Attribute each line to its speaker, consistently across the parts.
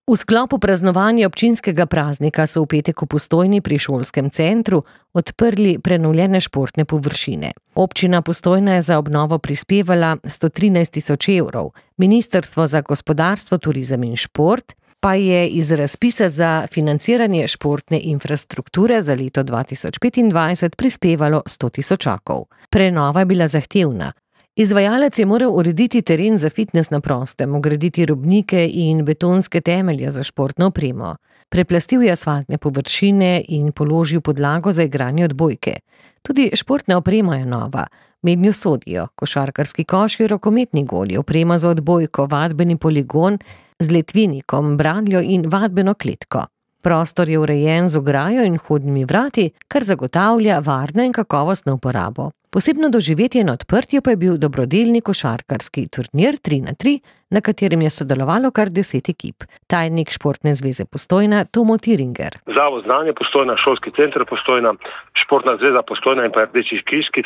Speaker 1: V sklopu praznovanja občinskega praznika so v petek v Postojni pri šolskem centru odprli prenovljene športne površine. Občina Postojna je za obnovo prispevala 113 000 evrov. Ministrstvo za gospodarstvo, turizem in šport pa je iz razpisa za financiranje športne infrastrukture za leto 2025 prispevalo 100 000. Prenova je bila zahtevna. Izvajalec je moral urediti teren za fitnes na prostem, vgraditi robnike in betonske temelje za športno opremo. Preplastil je asfaltne površine in položil podlago za igranje odbojke. Tudi športna oprema je nova. Mednjo sodijo košarkarski koši, rokometni goli, oprema za odbojko, vadbeni poligon z letvinikom, bradljo in vadbeno kletko. Prostor je urejen z ograjo in vhodnimi vrati, kar zagotavlja varno in kakovostno uporabo. Posebno doživetje na odprtju pa je bil dobrodelni košarkarski turnir 3x3, na katerem je sodelovalo kar 10 ekip. Tajnik Športne zveze Postojna Tomo Tiringer.
Speaker 2: Zavod Znanje Postojna, šolski center Postojna, Športna zveza Postojna in pa Rdeči križ, ki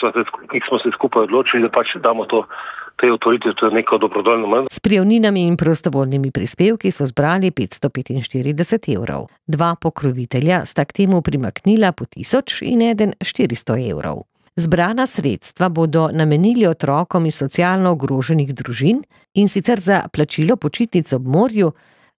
Speaker 2: smo se skupaj odločili, da pač damo te otvoritve, to je neko dobrodoljno manj.
Speaker 1: S prijavninami in prostovoljnimi prispevki so zbrali 545 evrov. Dva pokrovitelja sta k temu primaknila po 1000 in eden 400 evrov. Zbrana sredstva bodo namenili otrokom iz socialno ogroženih družin, in sicer za plačilo počitnic ob morju,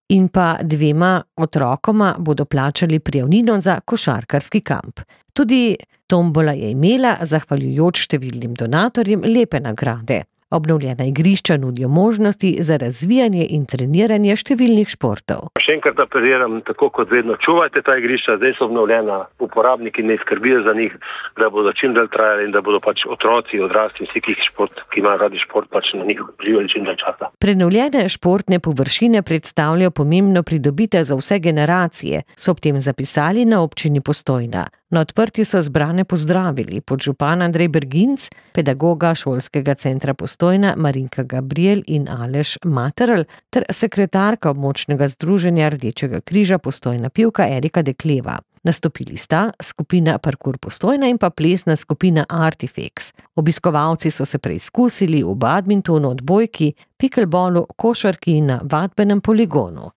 Speaker 1: in pa 2 otrokoma bodo plačali prijavnino za košarkarski kamp. Tudi tombola je imela, zahvaljujoč številnim donatorjem, lepe nagrade. Obnovljena igrišča nudijo možnosti za razvijanje in treniranje številnih športov.
Speaker 2: Še enkrat apeliram, tako kot vedno, čuvajte ta igrišča, zdaj so obnovljena, uporabniki ne skrbijo za njih, da bodo čim dalj trajali in da bodo pač otroci, odrasli, vsi, ki imajo radi šport, pač na njih živeli čim dalj časa.
Speaker 1: Prenovljene športne površine predstavljajo pomembno pridobitev za vse generacije, so ob tem zapisali na občini Postojna. Na odprtju so zbrane pozdravili podžupan Andrej Berginc, pedagoga šolskega centra Postojna Marinka Gabriel in Aleš Materl ter sekretarka območnega združenja Rdečega križa Postojna pivka Erika Dekleva. Nastopili sta skupina Parkour Postojna in pa plesna skupina Artifex. Obiskovalci so se preizkusili v badmintonu, odbojki, pikelbolu, košarki in na vadbenem poligonu.